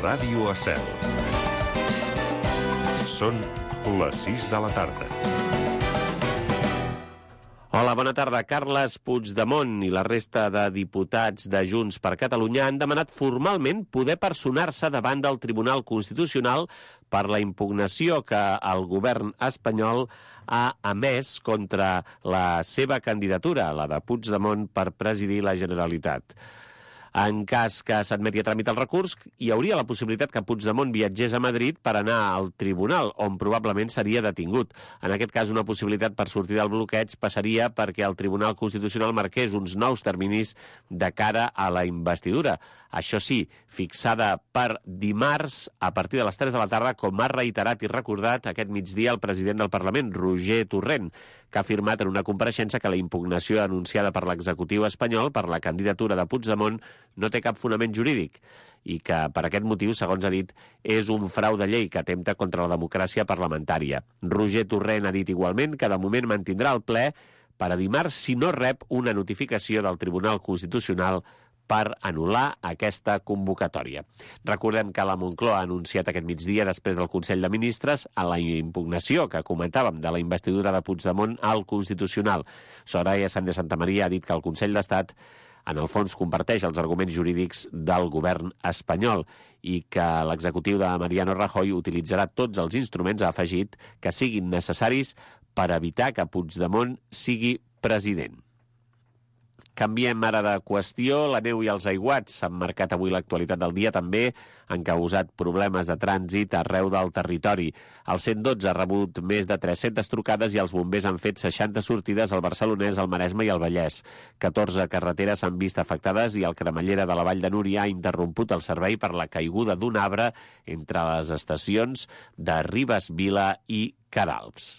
Ràdio Estel. Són les 6 de la tarda. Hola, bona tarda. Carles Puigdemont i la resta de diputats de Junts per Catalunya han demanat formalment poder personar-se davant del Tribunal Constitucional per la impugnació que el govern espanyol ha emès contra la seva candidatura, la de Puigdemont, per presidir la Generalitat. En cas que s'admeti a tràmit el recurs, hi hauria la possibilitat que Puigdemont viatgés a Madrid per anar al tribunal, on probablement seria detingut. En aquest cas, una possibilitat per sortir del bloqueig passaria perquè el Tribunal Constitucional marqués uns nous terminis de cara a la investidura. Això sí, fixada per dimarts a partir de les 3 de la tarda, com ha reiterat i recordat aquest migdia el president del Parlament, Roger Torrent, que ha afirmat en una compareixença que la impugnació anunciada per l'executiu espanyol per la candidatura de Puigdemont no té cap fonament jurídic i que, per aquest motiu, segons ha dit, és un frau de llei que atempta contra la democràcia parlamentària. Roger Torrent ha dit igualment que de moment mantindrà el ple per a dimarts si no rep una notificació del Tribunal Constitucional per anul·lar aquesta convocatòria. Recordem que la Moncloa ha anunciat aquest migdia, després del Consell de Ministres, a la impugnació que comentàvem de la investidura de Puigdemont al Constitucional. Soraya Sáenz de Santamaría ha dit que el Consell d'Estat en el fons comparteix els arguments jurídics del govern espanyol i que l'executiu de Mariano Rajoy utilitzarà tots els instruments, ha afegit, que siguin necessaris per evitar que Puigdemont sigui president. Canviem ara de qüestió. La neu i els aiguats han marcat avui l'actualitat del dia. També han causat problemes de trànsit arreu del territori. El 112 ha rebut més de 300 trucades i els bombers han fet 60 sortides al Barcelonès, al Maresme i al Vallès. 14 carreteres s'han vist afectades i el Cremallera de la Vall de Núria ha interromput el servei per la caiguda d'un arbre entre les estacions de Ribes Vila i Queralbs.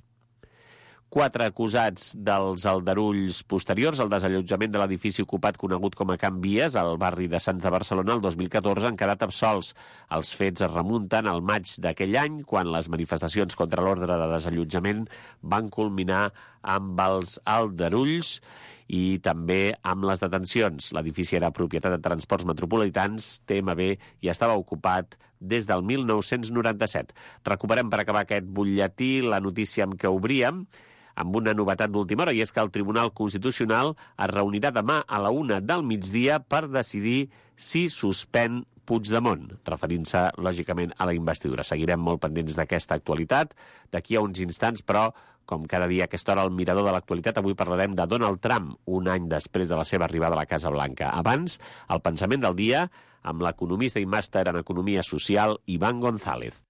4 acusats dels aldarulls posteriors al desallotjament de l'edifici ocupat conegut com a Can Vies, al barri de Sants de Barcelona, el 2014, han quedat absolts. Els fets es remunten al maig d'aquell any, quan les manifestacions contra l'ordre de desallotjament van culminar amb els aldarulls i també amb les detencions. L'edifici era propietat de Transports Metropolitans, TMB, i estava ocupat des del 1997. Recuperem per acabar aquest butlletí la notícia amb què obríem, amb una novetat d'última hora, i és que el Tribunal Constitucional es reunirà demà a la 1 del migdia per decidir si suspèn Puigdemont, referint-se, lògicament, a la investidura. Seguirem molt pendents d'aquesta actualitat. D'aquí a uns instants, però, com cada dia a aquesta hora al mirador de l'actualitat, avui parlarem de Donald Trump, un any després de la seva arribada a la Casa Blanca. Abans, el pensament del dia amb l'economista i màster en Economia Social, Iván González.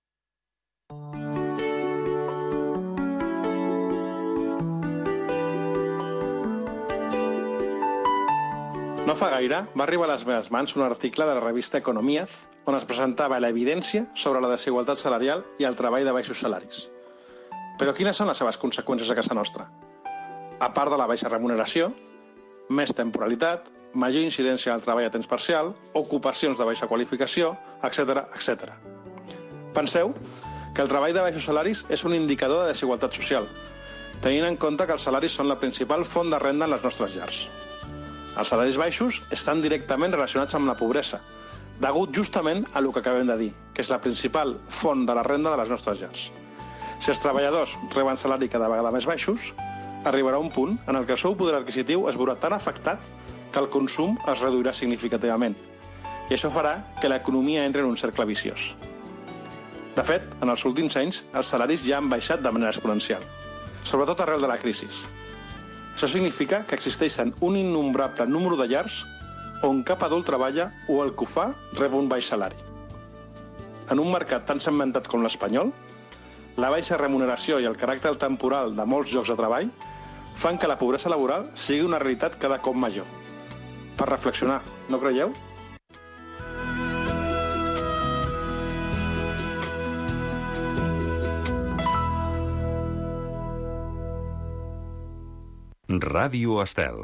No fa gaire va arribar a les meves mans un article de la revista Economíaz on es presentava l'evidència sobre la desigualtat salarial i el treball de baixos salaris. Però quines són les seves conseqüències a casa nostra? A part de la baixa remuneració, més temporalitat, major incidència del treball a temps parcial, ocupacions de baixa qualificació, etc. etc. Penseu que el treball de baixos salaris és un indicador de desigualtat social, tenint en compte que els salaris són la principal font de renda en les nostres llars. Els salaris baixos estan directament relacionats amb la pobresa, degut justament a el que acabem de dir, que és la principal font de la renda de les nostres llars. Si els treballadors reben salari cada vegada més baixos, arribarà un punt en el que el seu poder adquisitiu es veurà tan afectat que el consum es reduirà significativament. I això farà que l'economia entri en un cercle viciós. De fet, en els últims anys, els salaris ja han baixat de manera exponencial, sobretot arrel de la crisi. Això significa que existeixen un innombrable número de llars on cap adult treballa o el que ho fa rep un baix salari. En un mercat tan segmentat com l'espanyol, la baixa remuneració i el caràcter temporal de molts llocs de treball fan que la pobresa laboral sigui una realitat cada cop major. Per reflexionar, no creieu? Ràdio Estel.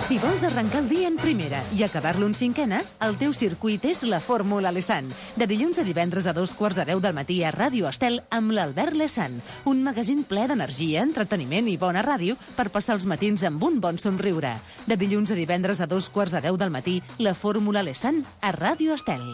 Si vols arrencar el dia en primera i acabar-lo en cinquena, el teu circuit és la Fórmula Lesan. De dilluns a divendres a 2:45 del matí a Ràdio Estel amb l'Albert Lesan. Un magazín ple d'energia, entreteniment i bona ràdio per passar els matins amb un bon somriure. De dilluns a divendres a 2:15 del matí, la Fórmula Lesan a Ràdio Estel.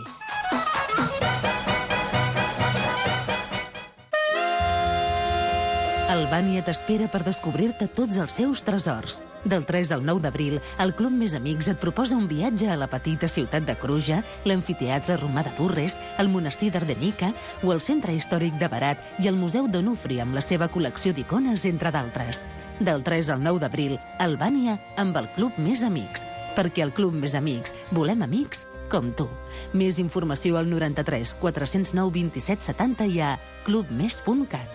Albània t'espera per descobrir-te tots els seus tresors. Del 3 al 9 d'abril, el Club Més Amics et proposa un viatge a la petita ciutat de Cruja, l'amfiteatre romà de Durres, el monestir d'Ardenica o el centre històric de Berat i el Museu d'Onufri amb la seva col·lecció d'icones, entre d'altres. Del 3 al 9 d'abril, Albània amb el Club Més Amics. Perquè al Club Més Amics volem amics com tu. Més informació al 93 409 27 70 i a clubmes.cat.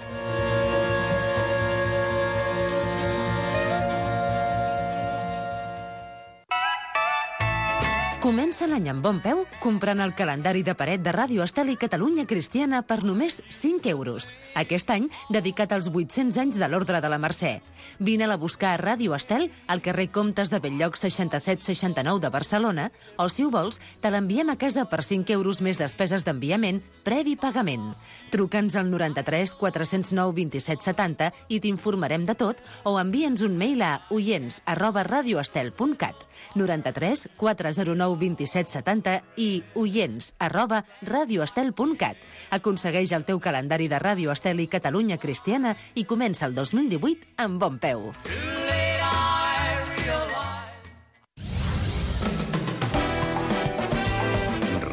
Comença l'any amb bon peu comprant el calendari de paret de Ràdio Estel i Catalunya Cristiana per només 5 euros. Aquest any, dedicat als 800 anys de l'Ordre de la Mercè. Vine-la a buscar a Ràdio Estel, al carrer Comtes de Bell-lloc 6769 de Barcelona, o si ho vols, te l'enviem a casa per 5 euros més despeses d'enviament, previ pagament. Truca'ns al 93 409 27 70 i t'informarem de tot, o envia'ns un mail a oients@radioestel.cat. 93 409 27 70 i oients@radioestel.cat. Aconsegueix el teu calendari de Ràdio Estel i Catalunya Cristiana i comença el 2018 amb bon peu.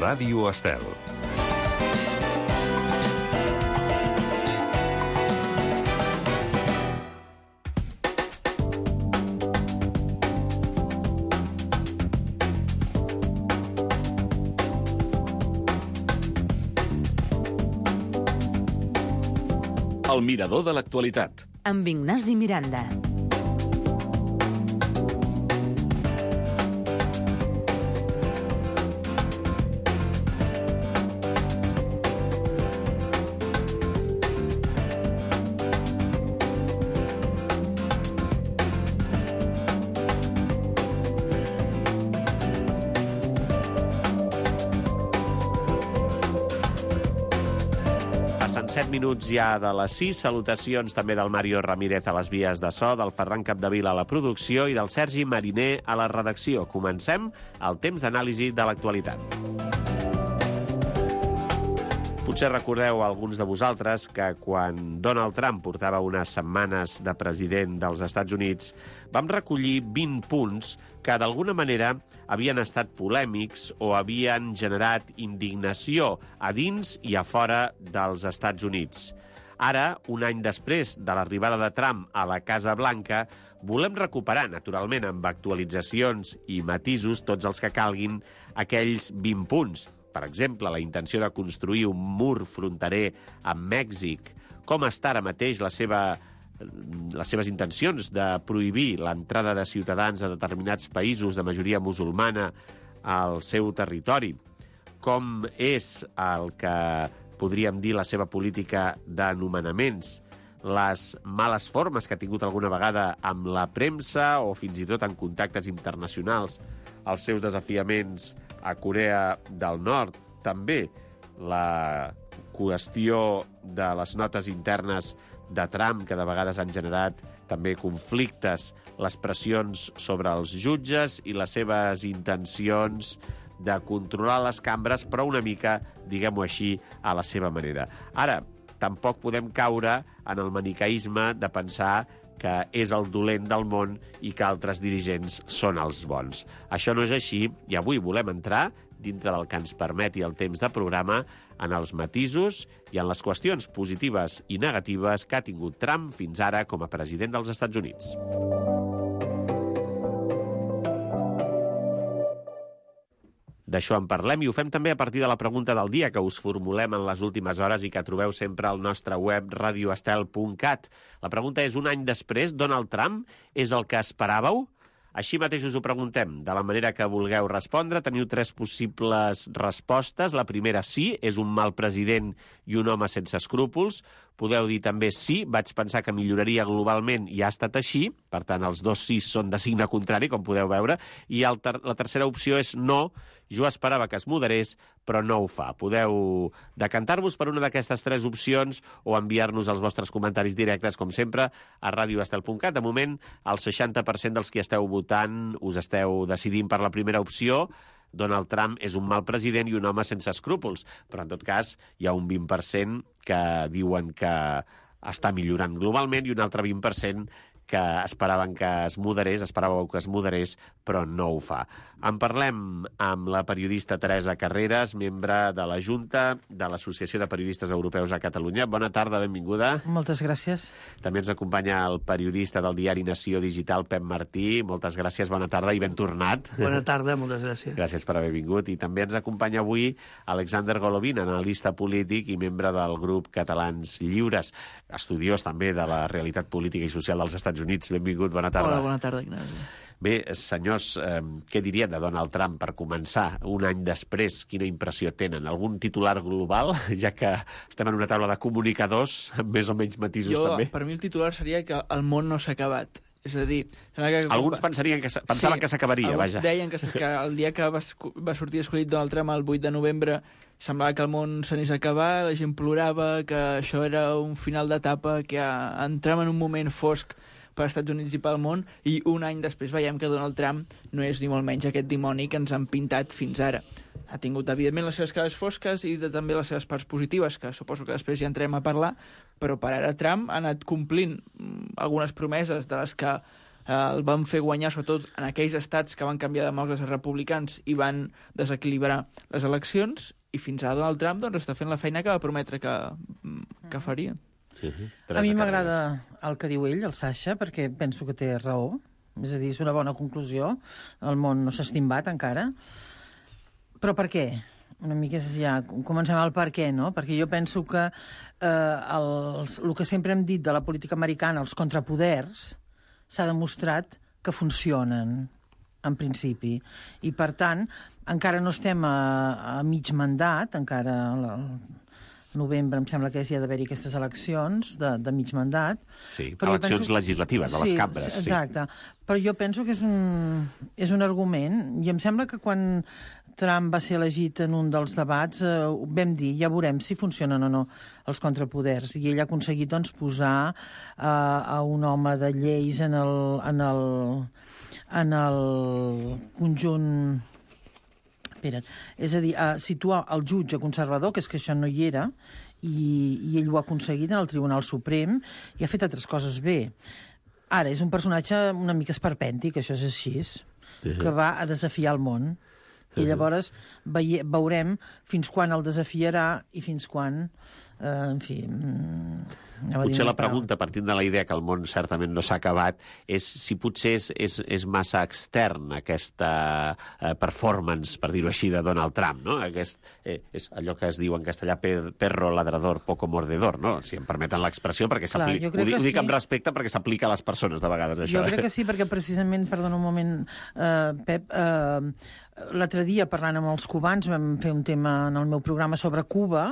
Ràdio Estel. El mirador de l'actualitat. Amb Ignasi Miranda. Passen 7 minuts ja de les 6. Salutacions també del Mario Ramírez a les vies de so, del Ferran Capdevila a la producció i del Sergi Mariner a la redacció. Comencem el temps d'anàlisi de l'actualitat. Potser recordeu alguns de vosaltres que quan Donald Trump portava unes setmanes de president dels Estats Units vam recollir 20 punts que d'alguna manera havien estat polèmics o havien generat indignació a dins i a fora dels Estats Units. Ara, un any després de l'arribada de Trump a la Casa Blanca, volem recuperar, naturalment, amb actualitzacions i matisos, tots els que calguin, aquells 20 punts. Per exemple, la intenció de construir un mur fronterer amb Mèxic. Com està ara mateix les seves intencions de prohibir l'entrada de ciutadans de determinats països de majoria musulmana al seu territori? Com és el que podríem dir la seva política d'anomenaments? Les males formes que ha tingut alguna vegada amb la premsa o fins i tot en contactes internacionals, els seus desafiaments a Corea del Nord, també la qüestió de les notes internes de Trump, que de vegades han generat també conflictes, les pressions sobre els jutges i les seves intencions de controlar les cambres, però una mica, diguem-ho així, a la seva manera. Ara, tampoc podem caure en el maniqueisme de pensar que és el dolent del món i que altres dirigents són els bons. Això no és així i avui volem entrar, dintre del que ens permeti el temps de programa, en els matisos i en les qüestions positives i negatives que ha tingut Trump fins ara com a president dels Estats Units. D'això en parlem i ho fem també a partir de la pregunta del dia que us formulem en les últimes hores i que trobeu sempre al nostre web radioestel.cat. La pregunta és: un any després, Donald Trump és el que esperàveu? Així mateix us ho preguntem, de la manera que vulgueu respondre. Teniu 3 possibles respostes. La primera, sí, és un mal president i un home sense escrúpols. Podeu dir també sí, vaig pensar que milloraria globalment i ha estat així. Per tant, els 2 sí són de signe contrari, com podeu veure. I la tercera opció és no, jo esperava que es moderés, però no ho fa. Podeu decantar-vos per una d'aquestes 3 opcions o enviar-nos els vostres comentaris directes, com sempre, a radioestel.cat. De moment, el 60% dels que esteu votant us esteu decidint per la primera opció. Donald Trump és un mal president i un home sense escrúpols, però en tot cas hi ha un 20% que diuen que està millorant globalment, i un altre 20% que esperàveu que es moderés, però no ho fa. En parlem amb la periodista Teresa Carreras, membre de la Junta de l'Associació de Periodistes Europeus a Catalunya. Bona tarda, benvinguda. Moltes gràcies. També ens acompanya el periodista del diari Nació Digital, Pep Martí. Moltes gràcies, bona tarda i ben tornat. Bona tarda, moltes gràcies. Gràcies per haver vingut. I també ens acompanya avui Alexander Golovin, analista polític i membre del grup Catalans Lliures, estudiós també de la realitat política i social dels Estats Units. Benvingut, bona tarda. Hola, bona tarda, Ignasi. Bé, senyors, què dirien de Donald Trump per començar? Un any després, quina impressió tenen? Algun titular global, ja que estem en una taula de comunicadors, amb més o menys matisos també? Per mi el titular seria que el món no s'ha acabat. És a dir... Alguns pensaven que s'acabaria, vaja. Alguns deien que el dia que va sortir escollit Donald Trump, el 8 de novembre, semblava que el món s'anés a acabar, la gent plorava, que això era un final d'etapa, que entrem en un moment fosc per als Estats Units i pel món, i un any després veiem que Donald Trump no és ni molt menys aquest dimoni que ens han pintat fins ara. Ha tingut, evidentment, les seves cares fosques i també les seves parts positives, que suposo que després ja entrem a parlar, però per ara Trump ha anat complint algunes promeses de les que el van fer guanyar, sobretot en aquells estats que van canviar de demòcrates a republicans i van desequilibrar les eleccions, i fins ara Donald Trump doncs, està fent la feina que va prometre que faria. A mi m'agrada el que diu ell, el Sasha, perquè penso que té raó. És a dir, és una bona conclusió. El món no s'ha estimbat encara. Però per què? Una mica ja comencem al per què, no? Perquè jo penso que el que sempre hem dit de la política americana, els contrapoders, s'ha demostrat que funcionen, en principi. I, per tant, encara no estem a mig mandat, encara... novembre, em sembla que ja ha d'haver-hi aquestes eleccions de mig mandat. Sí, eleccions legislatives, a les cambres. Sí, exacte. Però jo penso que és un argument, i em sembla que quan Trump va ser elegit en un dels debats, vam dir, ja veurem si funcionen o no els contrapoders, i ell ha aconseguit doncs, posar a un home de lleis en el conjunt... És a dir, situar el jutge conservador, que és que això no hi era, i ell ho ha aconseguit en el Tribunal Suprem, i ha fet altres coses bé. Ara, és un personatge una mica esperpèntic, això és així, que va a desafiar el món. I llavors veurem fins quan el desafiarà i fins quan, en fi... Potser la pregunta, partint de la idea que el món certament no s'ha acabat, és si potser és massa extern aquesta performance, per dir-ho així, de Donald Trump, no? És allò que es diu en castellà perro ladrador, poco mordedor, no? Si em permeten l'expressió, perquè ho dic amb respecte perquè s'aplica a les persones de vegades, això. Jo crec que sí, perquè precisament, perdona un moment, Pep, l'altre dia, parlant amb els cubans, vam fer un tema en el meu programa sobre Cuba,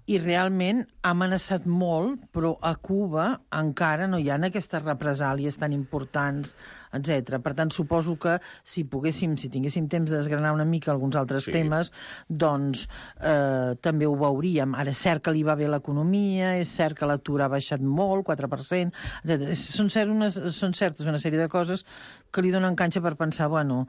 i realment ha amenaçat molt, però a Cuba encara no hi ha aquestes represàlies tan importants, etc. Per tant, suposo que si tinguéssim temps de desgranar una mica alguns altres temes, doncs també ho veuríem. Ara és cert que li va bé l'economia, és cert que l'atur ha baixat molt, 4%, etc. Són certes una sèrie de coses que li donen canxa per pensar, bueno,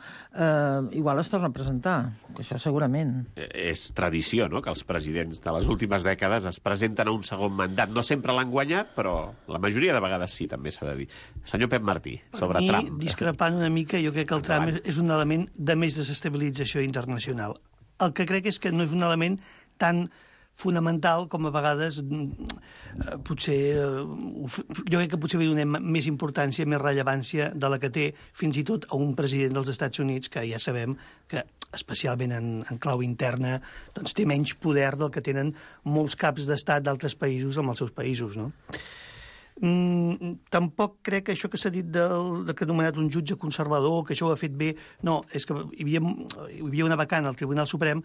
igual es torna a presentar, que això segurament. És tradició, no?, que els presidents de les últimes dècades es presenten a un segon mandat. No sempre l'han guanyat, però la majoria de vegades sí, també s'ha de dir. Senyor Pep Martí, sobre Trump. Discrepant una mica, jo crec que el Trump és un element de més desestabilització internacional. El que crec és que no és un element tan fonamental com a vegades potser... Jo crec que potser li donem més importància, més rellevància de la que té fins i tot a un president dels Estats Units, que ja sabem que, especialment en clau interna, doncs té menys poder del que tenen molts caps d'estat d'altres països amb els seus països, no? Tampoc crec que això que s'ha dit que ha nomenat un jutge conservador, que això ho ha fet bé, no, és que hi havia una vacant al Tribunal Suprem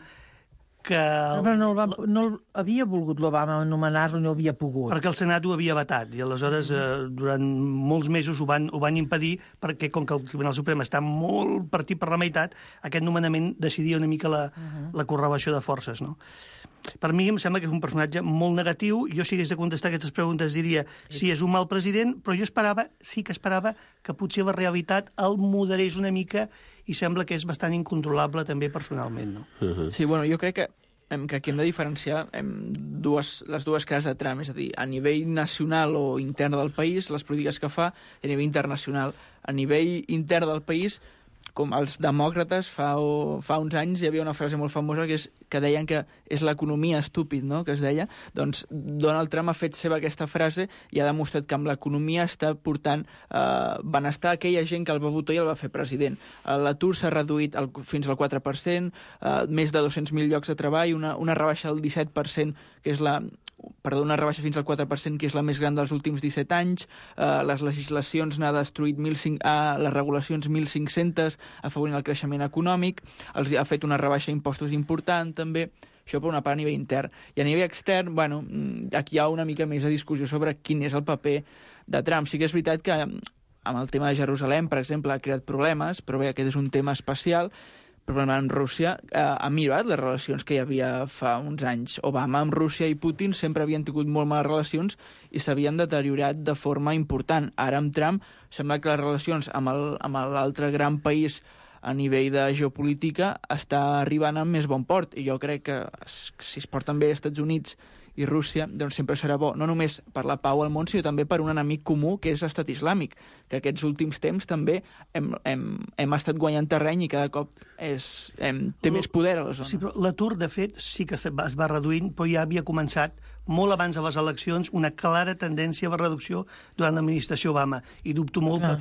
que... Però no havia volgut l'Obama anomenar-lo, no havia pogut. Perquè el Senat ho havia vetat, i aleshores durant molts mesos ho van impedir, perquè com que el Tribunal Suprem està molt partit per la meitat, aquest nomenament decidia una mica la correlació de forces, no? Per mi em sembla que és un personatge molt negatiu. Jo, si hagués de contestar aquestes preguntes, diria sí, és un mal president, però jo sí que esperava que potser la realitat el moderés una mica, i sembla que és bastant incontrolable també personalment, no? Sí, bueno, jo crec que que aquí hem de diferenciar les dues cares de Trump, és a dir, a nivell nacional o intern del país, les polítiques que fa, i a nivell internacional. A nivell intern del país, com els demòcrates, fa uns anys hi havia una frase molt famosa que deien que és l'economia estúpid, no?, que es deia. Doncs Donald Trump ha fet seva aquesta frase i ha demostrat que amb l'economia està portant benestar a aquella gent que el va votar i el va fer president. L'atur s'ha reduït fins al 4%, més de 200.000 llocs de treball, una rebaixa del 17%, que és una rebaixa fins al 4%, que és la més gran dels últims 17 anys. Les legislacions n'ha destruït les regulacions 1.500, afavorint el creixement econòmic. Els ha fet una rebaixa d'impostos important, també. Això per una part a nivell intern. I a nivell extern, bueno, aquí hi ha una mica més de discussió sobre quin és el paper de Trump. Sí que és veritat que amb el tema de Jerusalem, per exemple, ha creat problemes, però bé, aquest és un tema especial. Però amb Rússia ha millorat les relacions que hi havia fa uns anys. Obama amb Rússia i Putin sempre havien tingut molt males relacions i s'havien deteriorat de forma important. Ara amb Trump sembla que les relacions amb l'altre gran país a nivell de geopolítica està arribant amb més bon port. I jo crec que si es porten bé als Estats Units i Rússia, doncs sempre serà bo, no només per la pau al món, sinó també per un enemic comú, que és l'Estat Islàmic, que aquests últims temps també hem estat guanyant terreny i cada cop té més poder a la zona. Sí, però l'atur, de fet, sí que es va reduint, però ja havia començat molt abans de les eleccions una clara tendència a la reducció durant l'administració Obama. I dubto molt que...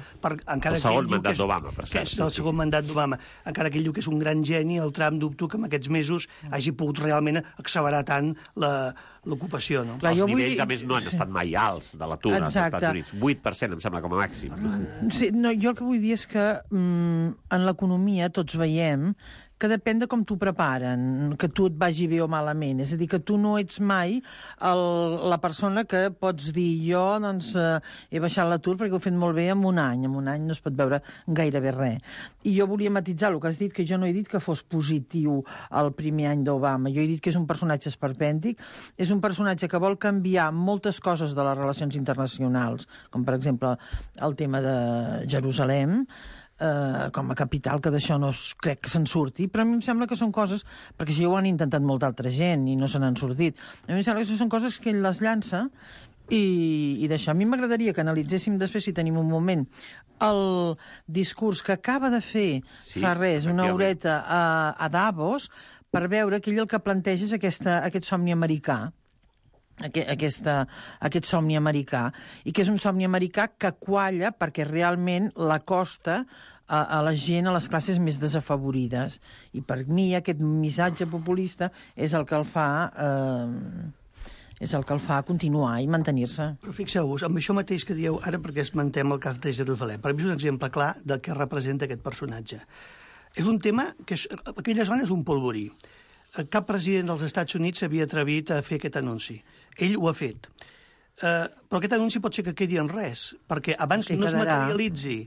El segon mandat d'Obama, per cert. El segon mandat d'Obama. Encara que ell diu que és un gran geni, el Trump dubto que en aquests mesos hagi pogut realment accelerar tant l'ocupació, no? Els nivells, a més, no han estat mai alts de l'atur als Estats Units. 8%, em sembla, com a màxim. Sí, no, jo el que vull dir és que en l'economia tots veiem que depèn de com t'ho preparen, que tu et vagi bé o malament. És a dir, que tu no ets mai la persona que pots dir jo doncs, he baixat l'atur perquè ho he fet molt bé en un any. En un any no es pot veure gairebé res. I jo volia matitzar el que has dit, que jo no he dit que fos positiu el primer any d'Obama. Jo he dit que és un personatge esperpèntic, és un personatge que vol canviar moltes coses de les relacions internacionals, com per exemple el tema de Jerusalem, com a capital, que d'això no crec que se'n surti, però a mi em sembla que són coses, perquè això ho han intentat molta altra gent i no se n'han sortit, a mi em sembla que són coses que ell les llança i d'això. A mi m'agradaria que analitzéssim després, si tenim un moment, el discurs que acaba de fer fa res, una horeta a Davos, per veure que ell el que planteja és aquest somni americà, aquest somni americà, i que és un somni americà que qualla perquè realment l'acosta a la gent, a les classes més desafavorides. I per mi aquest missatge populista és el que el fa continuar i mantenir-se. Però fixeu-vos, amb això mateix que dieu ara, perquè esmentem el cas de Jerusalem, per mi és un exemple clar del que representa aquest personatge. És un tema que aquella zona és un polvorí. Cap president dels Estats Units s'havia atrevit a fer aquest anunci. Ell ho ha fet. Però aquest anunci pot ser que quedi en res, perquè abans que no es materialitzi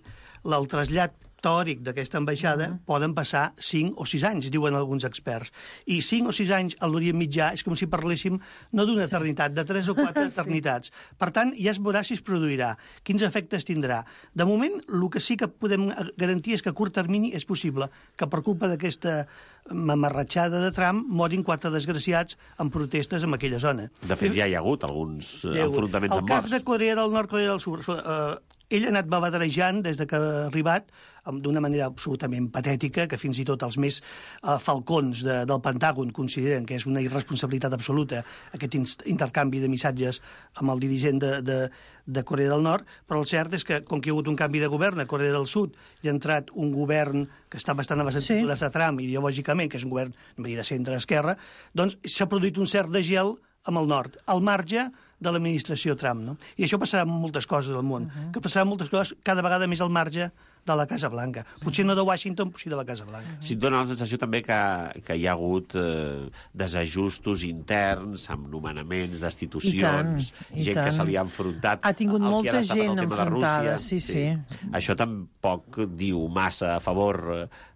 el trasllat teòric d'aquesta ambaixada, poden passar 5 o 6 anys, diuen alguns experts. I 5 o 6 anys a l'Orient Mitjà és com si parléssim no d'una eternitat, de 3 o 4 eternitats. Per tant, ja es veurà si es produirà, quins efectes tindrà. De moment, el que sí que podem garantir és que a curt termini és possible que per culpa d'aquesta mamarratxada de Trump morin 4 desgraciats en protestes en aquella zona. De fet, ja hi ha hagut alguns enfrontaments amb morts. El cas de Corea del Nord, Corea del Sud, ell ha anat babaderejant des que ha arribat d'una manera absolutament patètica, que fins i tot els més falcons del Pentàgon consideren que és una irresponsabilitat absoluta aquest intercanvi de missatges amb el dirigent de Corea del Nord, però el cert és que, com que hi ha hagut un canvi de govern a Corea del Sud i ha entrat un govern que està bastant a les antípodes de Trump ideològicament, que és un govern de centre-esquerra, doncs s'ha produït un cert de gel amb el nord, al marge de l'administració Trump, no? I això passarà amb moltes coses al món, que passarà moltes coses cada vegada més al marge de la Casa Blanca. Potser no de Washington, potser de la Casa Blanca. Sí, et dona la sensació també que hi ha hagut desajustos interns amb nomenaments, destitucions, gent que se li ha enfrontat. Ha tingut molta gent enfrontada, sí. Això tampoc diu massa a favor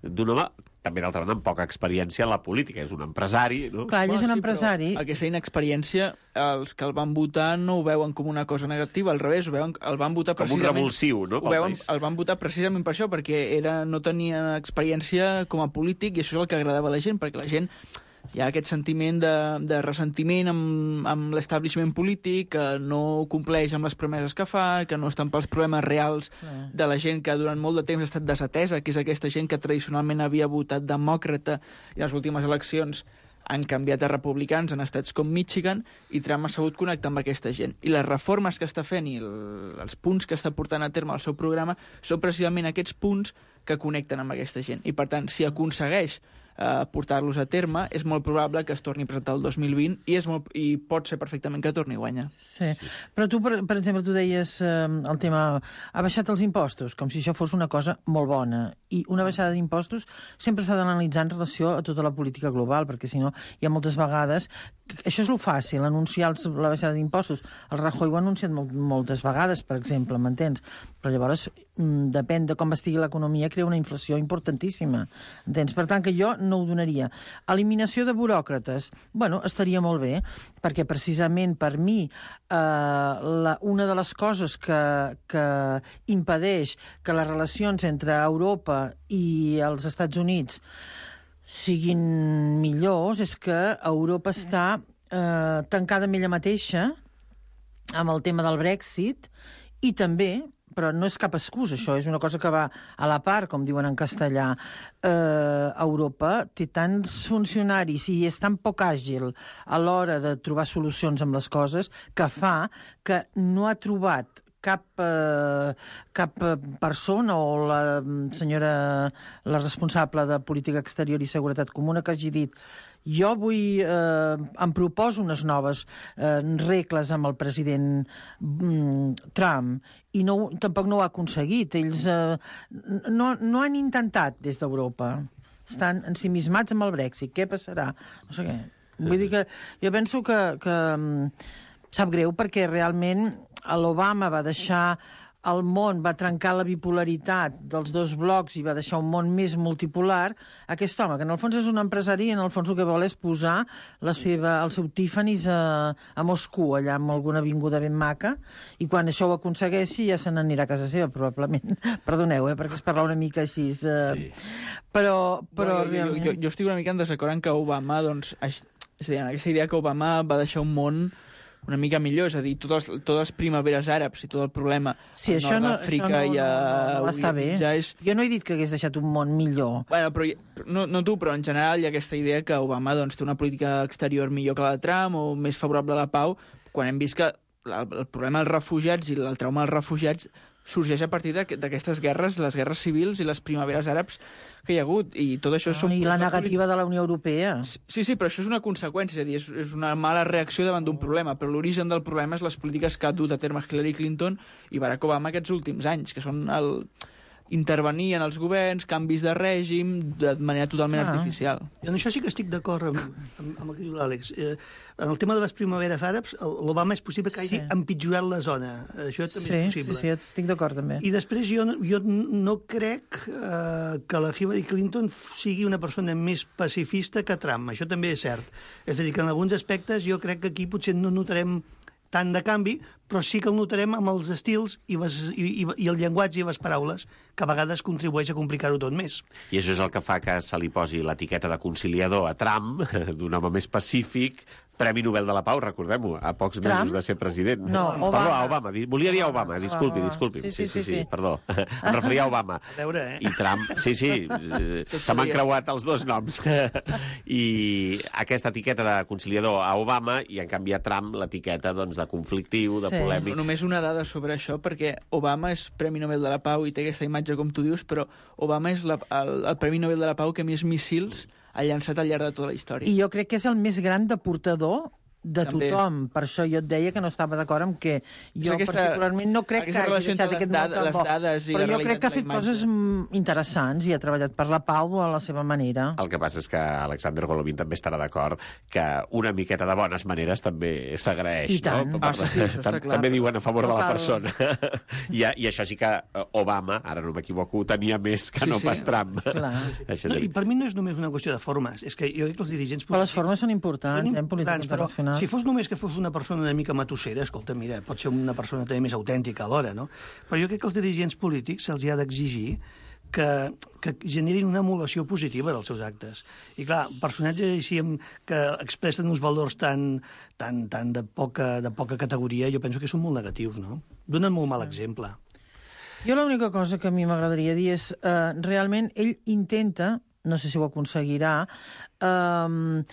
d'un home també, d'altra banda, amb poca experiència en la política. És un empresari, no? Clar, ell és un empresari. Aquesta inexperiència, els que el van votar no ho veuen com una cosa negativa, al revés, el van votar com precisament... un revulsiu, no? El van votar precisament per això, perquè no tenia experiència com a polític, i això és el que agradava a la gent, perquè la gent hi ha aquest sentiment de ressentiment amb l'establishment polític, que no compleix amb les promeses que fa, que no estan pels problemes reals de la gent que durant molt de temps ha estat desatesa, que és aquesta gent que tradicionalment havia votat demòcrata i en les últimes eleccions han canviat a republicans en estats com Michigan, i Trump ha sabut connectar amb aquesta gent. I les reformes que està fent i els punts que està portant a terme al seu programa són precisament aquests punts que connecten amb aquesta gent. I, per tant, si aconsegueix portar-los a terme, és molt probable que es torni a presentar el 2020 i pot ser perfectament que torni a guanyar. Sí. Però tu, per exemple, tu deies el tema... Ha baixat els impostos, com si això fos una cosa molt bona. I una baixada d'impostos sempre s'ha d'analitzar en relació a tota la política global, perquè si no hi ha moltes vegades... Això és lo fàcil, anunciar la baixada d'impostos. El Rajoy ho ha anunciat moltes vegades, per exemple, m'entens? Però llavors depèn de com estigui l'economia, crea una inflació importantíssima. Entens? Per tant, que jo no ho donaria. Eliminació de buròcrates. Bueno, estaria molt bé, perquè precisament per mi una de les coses que impedeix que les relacions entre Europa i els Estats Units siguin millors és que Europa està tancada amb ella mateixa amb el tema del Brexit, i també, però no és cap excusa, això és una cosa que va a la part, com diuen en castellà. Europa té tants funcionaris i és tan poc àgil a l'hora de trobar solucions amb les coses que fa que no ha trobat cap persona o la senyora, la responsable de Política Exterior i Seguretat Comuna, que hagi dit jo em proposo unes noves regles amb el president Trump, i tampoc no ho ha aconseguit. Ells no han intentat des d'Europa. Estan ensimismats amb el Brexit. Què passarà? No sé què. Vull dir que jo penso que sap greu, perquè realment l'Obama va deixar el món, va trencar la bipolaritat dels dos blocs i va deixar un món més multipolar. Aquest home, que en el fons és un empresari, en el fons el que vol és posar el seu Tiffany's a Moscou, allà amb alguna avinguda ben maca, i quan això ho aconsegueixi ja se n'anirà a casa seva, probablement. Perdoneu, perquè es parla una mica així. Sí. Però realment... Jo estic una mica en desacord en que Obama, doncs, és a dir, en aquesta idea que Obama va deixar un món una mica millor, és a dir, totes les primaveres àrabs i tot el problema sí, al nord d'Àfrica i a està bé. Ja és... Jo no he dit que hagués deixat un món millor. Bueno, però no tu, però en general hi ha aquesta idea que Obama doncs, té una política exterior millor que la de Trump o més favorable a la pau, quan hem vist que el problema dels refugiats i el trauma dels refugiats sorgeix a partir d'aquestes guerres, les guerres civils i les primaveres àrabs que hi ha hagut, i tot això... I la negativa de la Unió Europea. Sí, però això és una conseqüència, és a dir, és una mala reacció davant d'un problema, però l'origen del problema és les polítiques que ha dut a terme Hillary Clinton i Barack Obama aquests últims anys, que són intervenir en els governs, canvis de règim, de manera totalment artificial. I en això sí que estic d'acord amb el que diu l'Àlex. En el tema de les primaveres àrabs, l'Obama és possible que hagi empitjorat la zona. Això també és possible. Sí, estic d'acord també. I després jo no crec que la Hillary Clinton sigui una persona més pacifista que Trump. Això també és cert. És a dir, que en alguns aspectes jo crec que aquí potser no notarem tant de canvi, però sí que el notarem amb els estils i el llenguatge i les paraules, que a vegades contribueix a complicar-ho tot més. I això és el que fa que se li posi l'etiqueta de conciliador a Trump, d'un home més pacífic, Premi Nobel de la Pau, recordem-ho, a pocs mesos de ser president. No, Obama. Perdó, a Obama. Volia dir a Obama, disculpi. Sí, perdó. Em referia a Obama. A veure, I Trump, sí, se m'han creuat els dos noms. I aquesta etiqueta de conciliador a Obama, i en canvi a Trump l'etiqueta doncs, de conflictiu, de polèmic. Només una dada sobre això, perquè Obama és Premi Nobel de la Pau i té aquesta imatge com tu dius, però Obama és el Premi Nobel de la Pau que més míssils ha llançat al llarg de tota la història. I jo crec que és el més gran deportador de tothom. Per això jo et deia que no estava d'acord amb que jo particularment no crec que hagi deixat aquest món tan bo. Però jo crec que ha fet coses interessants i ha treballat per la pau a la seva manera. El que passa és que Alexander Golovin també estarà d'acord que una miqueta de bones maneres també s'agraeix. I tant. No? També diuen a favor de la persona. I això sí que Obama, ara no m'equivoco, tenia més que no pas Trump. I per mi no és només una qüestió de formes. És que jo crec que els dirigents... Però les formes són importants, en política internacional. Si fos només que fos una persona una mica matossera, escolta, mira, pot ser una persona també més autèntica alhora, no? Però jo crec que els dirigents polítics se'ls ha d'exigir que generin una emulació positiva dels seus actes. I clar, personatges així que expressen uns valors tan de poca categoria, jo penso que són molt negatius, no? Donen molt mal exemple. Jo l'única cosa que a mi m'agradaria dir és, realment, ell intenta, no sé si ho aconseguirà,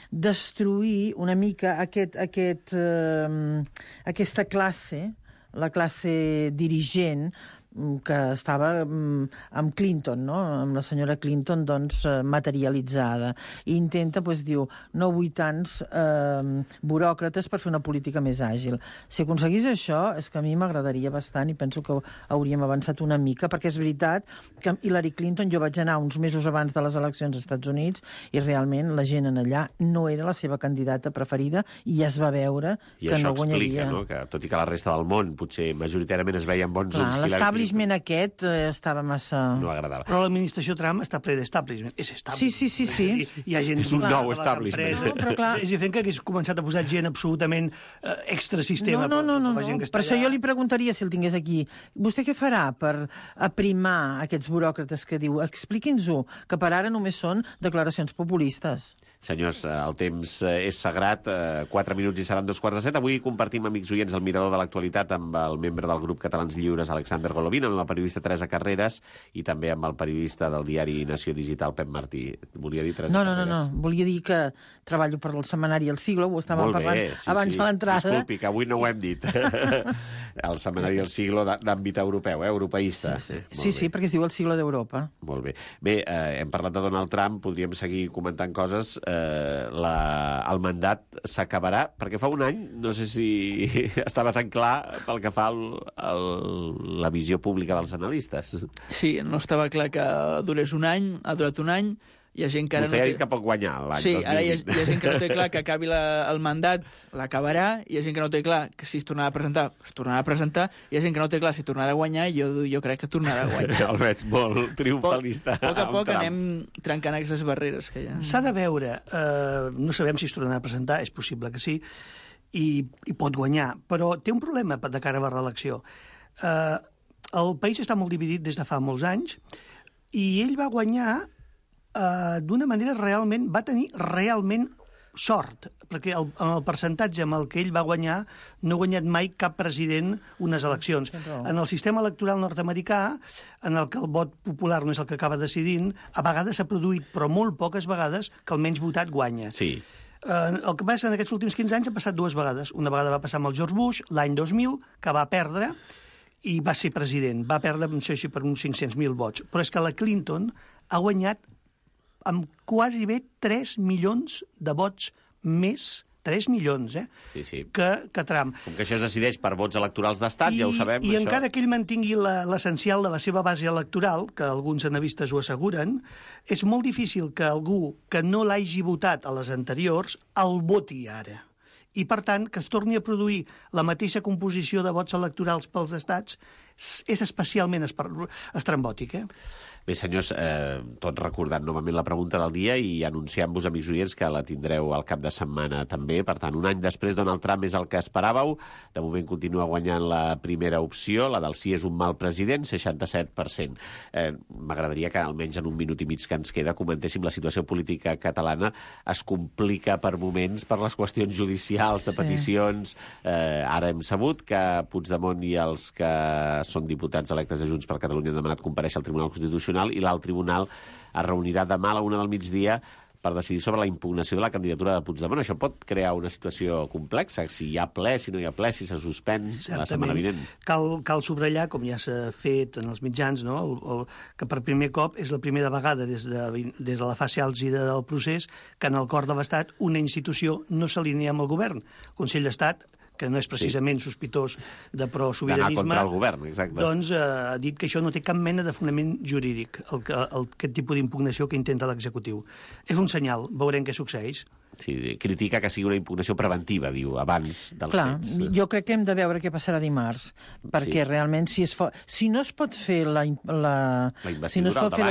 destruir una mica aquesta classe, la classe dirigent, que estava amb Clinton, no? Amb la senyora Clinton, doncs, materialitzada. I intenta, doncs, diu, no vull tants buròcrates per fer una política més àgil. Si aconseguís això, és que a mi m'agradaria bastant i penso que hauríem avançat una mica, perquè és veritat que Hillary Clinton, jo vaig anar uns mesos abans de les eleccions als Estats Units i realment la gent en allà no era la seva candidata preferida i ja es va veure que no guanyaria. I això explica, no?, que tot i que la resta del món potser majoritàriament es veien bons ulls, l'establishment aquest estava massa... No agradava. Però l'administració Trump està ple d'establishment. És establishment. Sí. Hi ha gent... És un nou establishment. Però clar... És diferent que hagués començat a posar gent absolutament extrasistema. No. Per això jo li preguntaria, si el tingués aquí, vostè què farà per aprimar aquests buròcrates que diu? Expliqui'ns-ho, que per ara només són declaracions populistes. Senyors, el temps és sagrat, 4 minuts i seran 2:15. Avui compartim, amics oients, el mirador de l'actualitat amb el membre del grup Catalans Lliures, Alexander Golovin, amb la periodista Teresa Carreras i també amb el periodista del diari Nació Digital, Pep Martí. Volia dir Teresa Carreras? No. Volia dir que treballo per el setmanari El Siglo, ho estàvem parlant abans de l'entrada. Disculpi, que avui no ho hem dit. El setmanari El Siglo d'àmbit europeu, europeista. Sí, perquè es diu El Siglo d'Europa. Molt bé. Bé, hem parlat de Donald Trump, podríem seguir comentant coses. El mandat s'acabarà, perquè fa un any, no sé si estava tan clar pel que fa la visió pública dels analistes. Sí, no estava clar que durés un any, ha durat un any, hi ha gent que ara Vostè ha dit que pot guanyar l'any 2020. Sí, ara hi ha gent que no té clar que acabi el mandat, l'acabarà, hi ha gent que no té clar que si es tornarà a presentar, es tornarà a presentar, hi ha gent que no té clar si tornarà a guanyar, jo crec que tornarà a guanyar. El veig molt triomfalista. A poc a poc anem trencant aquestes barreres que hi ha. S'ha de veure, no sabem si es tornarà a presentar, és possible que sí, i pot guanyar, però té un problema de cara a la reelecció. El país està molt dividit des de fa molts anys, i ell va guanyar d'una manera va tenir realment sort, perquè amb el percentatge amb el que ell va guanyar no ha guanyat mai cap president unes eleccions. En el sistema electoral nord-americà, en el que el vot popular no és el que acaba decidint, a vegades s'ha produït, però molt poques vegades, que el menys votat guanya. Sí. El que passa en aquests últims 15 anys ha passat dues vegades. Una vegada va passar amb el George Bush, l'any 2000, que va perdre i va ser president. Va perdre, no sé si per uns 500.000 vots. Però és que la Clinton ha guanyat amb quasi bé 3 milions de vots més, 3 milions, sí. que Trump. Com que això es decideix per vots electorals d'estat, ja ho sabem. I encara que ell mantingui l'essencial de la seva base electoral, que alguns analistes ho asseguren, és molt difícil que algú que no l'hagi votat a les anteriors el voti ara. I, per tant, que es torni a produir la mateixa composició de vots electorals pels estats és especialment estrambòtic, Bé, senyors, tot recordant novament la pregunta del dia i anunciant-vos, amics oients, que la tindreu al cap de setmana també. Per tant, un any després, Donald Trump és el que esperàveu. De moment continua guanyant la primera opció, la del sí és un mal president, 67%. M'agradaria que, almenys en un minut i mig que ens queda, comentéssim la situació política catalana. Es complica per moments per les qüestions judicials, de peticions. Ara hem sabut que Puigdemont i els que són diputats electes de Junts per Catalunya han demanat comparèixer al Tribunal Constitucional i l'alt tribunal es reunirà demà a la 1 del migdia per decidir sobre la impugnació de la candidatura de Puigdemont. Això pot crear una situació complexa, si hi ha ple, si no hi ha ple, si se suspèn la setmana vinent. Cal subratllar, com ja s'ha fet en els mitjans, no? Que per primer cop és la primera vegada des de la fase àlgida del procés que en el cor de l'Estat una institució no s'alinea amb el govern. El Consell d'Estat, que no és precisament sospitós de pro-sobiranisme, d'anar contra el govern, exacte. Doncs ha dit que això no té cap mena de fonament jurídic, aquest tipus d'impugnació que intenta l'executiu. És un senyal, veurem què succeeix. Sí, critica que sigui una impugnació preventiva, diu, abans dels fets. Jo crec que hem de veure què passarà dimarts, perquè realment si no es pot fer la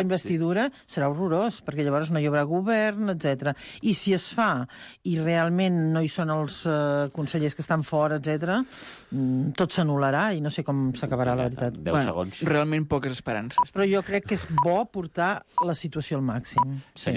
investidura, serà horrorós, perquè llavors no hi haurà govern, etc. I si es fa i realment no hi són els consellers que estan fora, fora, etc., tot s'anul·larà i no sé com s'acabarà, la veritat. 10 segons. Realment poques esperances. Però jo crec que és bo portar la situació al màxim. Sí.